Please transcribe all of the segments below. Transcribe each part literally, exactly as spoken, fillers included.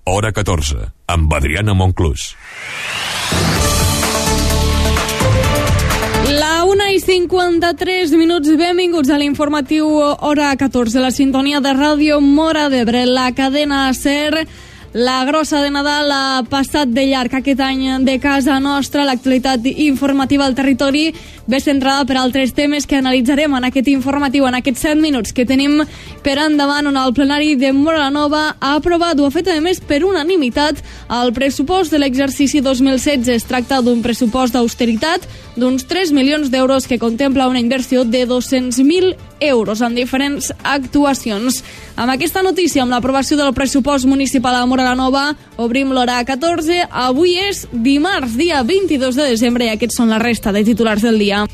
Hora catorze, amb Adriana Monclús. La una i cinquanta-tres minuts, benvinguts a l'informatiu Hora catorze, la sintonia de Ràdio Móra d'Ebre, la cadena SER. La grossa de Nadal ha passat de llarg aquest any de casa nostra. L'actualitat informativa al territori ve centrada per altres temes que analitzarem en aquest informatiu, en aquests set minuts que tenim per endavant, on el plenari de Móra la Nova ha aprovat, o ha fet a més per unanimitat, el pressupost de l'exercici dos mil setze. Es tracta d'un pressupost d'austeritat d'uns tres milions d'euros que contempla una inversió de dos-cents mil euros en diferents actuacions. Amb aquesta notícia, amb l'aprovació del pressupost municipal a Móra la Nova, obrim l'hora catorze. Avui és dimarts, dia vint-i-dos de desembre, i aquests són la resta de titulars del dia.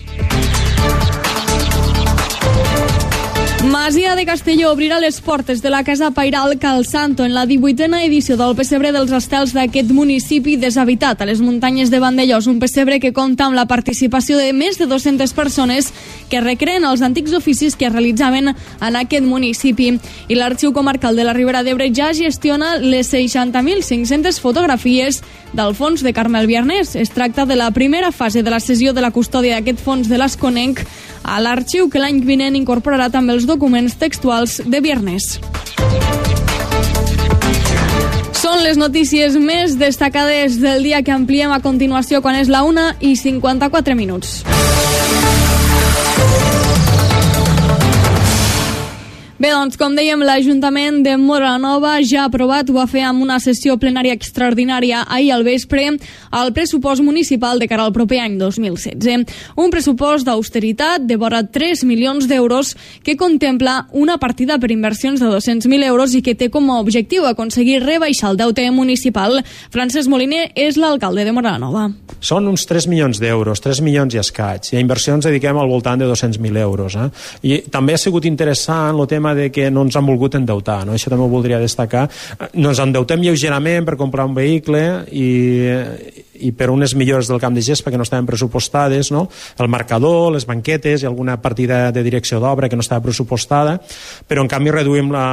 Masia de Castelló obrirà les portes de la Casa Pairal Cal Santo en la divuitena edició del pessebre dels estels d'aquest municipi deshabitat a les muntanyes de Vandellós, un pessebre que compta amb la participació de més de dues-centes persones que recreen els antics oficis que es realitzaven en aquest municipi. I l'Arxiu Comarcal de la Ribera d'Ebre ja gestiona les seixanta mil cinc-centes fotografies del fons de Carmel Biarnés. Es tracta de la primera fase de la cessió de la custòdia d'aquest fons de l'Esconenc a l'arxiu, que l'any vinent incorporarà també els documents textuals de Biarnés. Són les notícies més destacades del dia que ampliem a continuació quan és la una i cinquanta-quatre minuts. Bé, doncs, com dèiem, l'Ajuntament de Móra la Nova ja ha aprovat, ho va fer amb una sessió plenària extraordinària ahir al vespre, el pressupost municipal de cara al proper any dos mil setze. Un pressupost d'austeritat de vora tres milions d'euros que contempla una partida per inversions de dos-cents mil euros i que té com a objectiu aconseguir rebaixar el deute municipal. Francesc Moliner és l'alcalde de Móra la Nova. Són uns tres milions d'euros, tres milions i escaig. I a inversions dediquem al voltant de dos-cents mil euros. Eh? I també ha sigut interessant el tema de que no ens han volgut endeutar, no? Això també ho voldria destacar. No ens endeutem lleugerament per comprar un vehicle i, i per unes millores del camp de gespa que no estaven pressupostades, no? El marcador, les banquetes i alguna partida de direcció d'obra que no estava pressupostada, però en canvi reduïm la,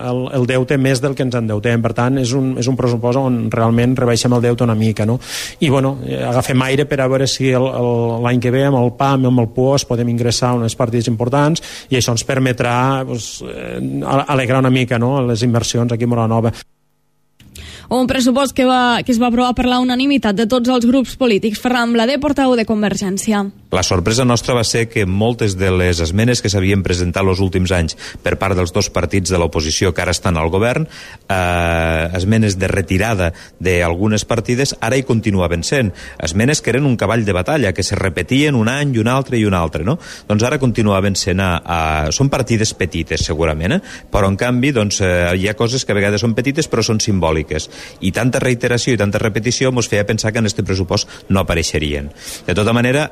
el, el deute més del que ens endeutem. Per tant, és un, és un pressupost on realment rebaixem el deute una mica, no? I bueno, agafem aire per a veure si el, el, l'any que ve amb el P A M i amb el P O S podem ingressar unes partides importants i això ens permetrà pues, alegrar una mica, no?, les inversions aquí a Móra la Nova. Un pressupost que, va, que es va aprovar per la unanimitat de tots els grups polítics. Ferran Blader, portaveu de Convergència. La sorpresa nostra va ser que moltes de les esmenes que s'havien presentat els últims anys per part dels dos partits de l'oposició que ara estan al govern, eh, esmenes de retirada d'algunes partides, ara hi continuaven sent. Esmenes que eren un cavall de batalla, que se repetien un any i un altre i un altre, no? Doncs ara continuaven sent a, a... Són partides petites, segurament, eh? Però en canvi, doncs, eh, hi ha coses que a vegades són petites però són simbòliques. I tanta reiteració i tanta repetició ens feia pensar que en aquest pressupost no apareixerien. De tota manera,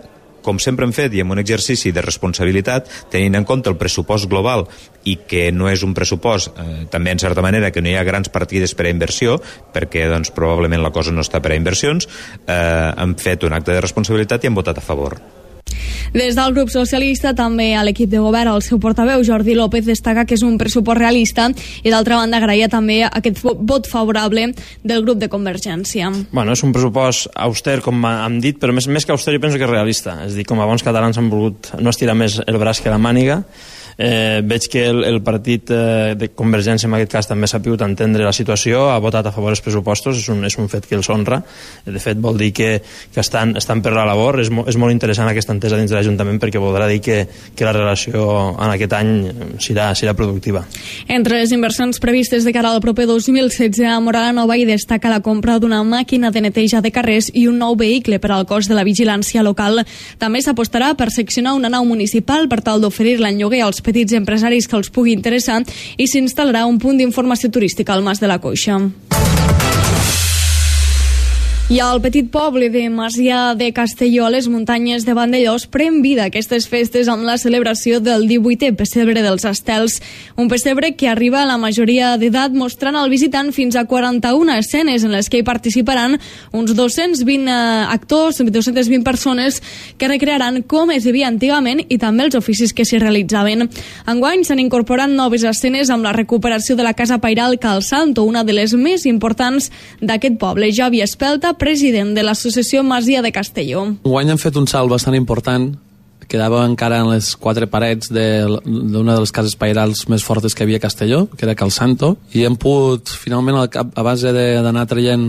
com sempre hem fet i amb un exercici de responsabilitat, tenint en compte el pressupost global i que no és un pressupost, eh, també en certa manera que no hi ha grans partides per a inversió, perquè doncs, probablement la cosa no està per a inversions, eh, hem fet un acte de responsabilitat i hem votat a favor. Des del grup socialista, també a l'equip de govern, el seu portaveu Jordi López destaca que és un pressupost realista i d'altra banda agraïa també aquest vot favorable del grup de Convergència. Bueno, és un pressupost auster, com hem dit, però més, més que auster jo penso que és realista. És a dir, com a bons catalans han volgut no estirar més el braç que la màniga. Eh, veig que el, el partit eh, de Convergència en aquest cas també s'ha pogut entendre la situació, ha votat a favor dels pressupostos, és un, és un fet que els honra. De fet vol dir que, que estan, estan per la labor. És, mo, és molt interessant aquesta entesa dins de l'Ajuntament perquè voldrà dir que, que la relació en aquest any serà, serà productiva. Entre les inversions previstes de cara al proper dos mil setze a Móra la Nova hi destaca la compra d'una màquina de neteja de carrers i un nou vehicle per al cos de la vigilància local. També s'apostarà per seccionar una nau municipal per tal d'oferir-la en lloguer als petits empresaris que els pugui interessar i s'instal·larà un punt d'informació turística al Mas de la Coixa. I al petit poble de Masia de Castelló, a les muntanyes de Vandellós, pren vida aquestes festes amb la celebració del divuitè pessebre dels Estels. Un pessebre que arriba a la majoria d'edat, mostrant al visitant fins a quaranta-una escenes en les que hi participaran uns dos-cents vint actors, dos-centes vint persones que recrearan com es vivia antigament i també els oficis que s'hi realitzaven. Enguany s'han incorporat noves escenes amb la recuperació de la Casa Pairal Cal Santo, una de les més importants d'aquest poble. Javi Espelta, president de l'associació Masia de Castelló. Enguany han fet un salt bastant important. Quedava encara en les quatre parets d'una de les cases pairals més fortes que havia a Castelló, que era Cal Santo, i hem pogut, finalment, a base d'anar traient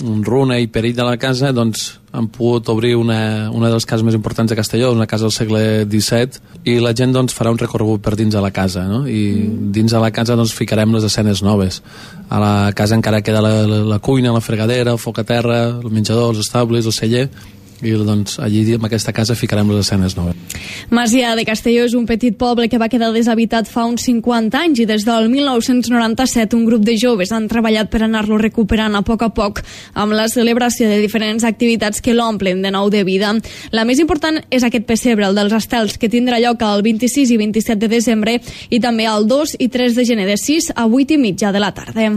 un runa i perill de la casa, doncs han pogut obrir una, una de les cases més importants de Castelló, una casa del segle disset, i la gent doncs, farà un recorregut per dins de la casa, no? I dins de la casa doncs, ficarem les escenes noves. A la casa encara queda la, la, la cuina, la fregadera, el foc a terra, el menjador, els estables, el celler, i doncs allí en aquesta casa ficarem les escenes noves. Masia de Castelló és un petit poble que va quedar deshabitat fa uns cinquanta anys i des del mil nou-cents noranta-set un grup de joves han treballat per anar-lo recuperant a poc a poc amb la celebració de diferents activitats que l'omplen de nou de vida. La més important és aquest pessebre, el dels Estels, que tindrà lloc el vint-i-sis i vint-i-set de desembre i també el dos i tres de gener de sis a vuit i mitja de la tarda.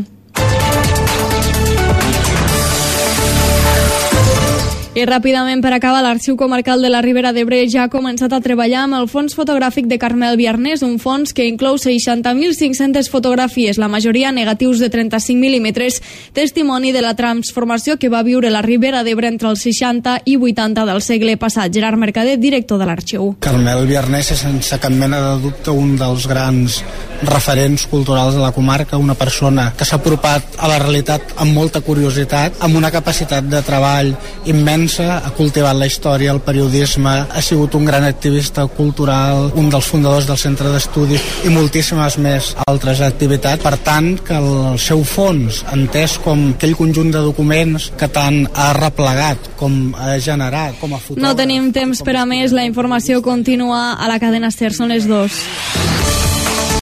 I ràpidament, per acabar, l'Arxiu Comarcal de la Ribera d'Ebre ja ha començat a treballar amb el fons fotogràfic de Carmel Biarnés, un fons que inclou seixanta mil cinc-centes fotografies, la majoria negatius de trenta-cinc mil·límetres, testimoni de la transformació que va viure la Ribera d'Ebre entre els seixanta i vuitanta del segle passat. Gerard Mercader, director de l'Arxiu. Carmel Biarnés és, sense cap mena de dubte, un dels grans referents culturals de la comarca, una persona que s'ha apropat a la realitat amb molta curiositat, amb una capacitat de treball immensa, ha cultivat la història, el periodisme, ha sigut un gran activista cultural, un dels fundadors del Centre d'Estudis i moltíssimes més altres activitats. Per tant, que el seu fons, entès com aquell conjunt de documents que tant ha replegat com ha generat com a fotògraf... No tenim temps per a més, la informació continua a la cadena SER, són les dues.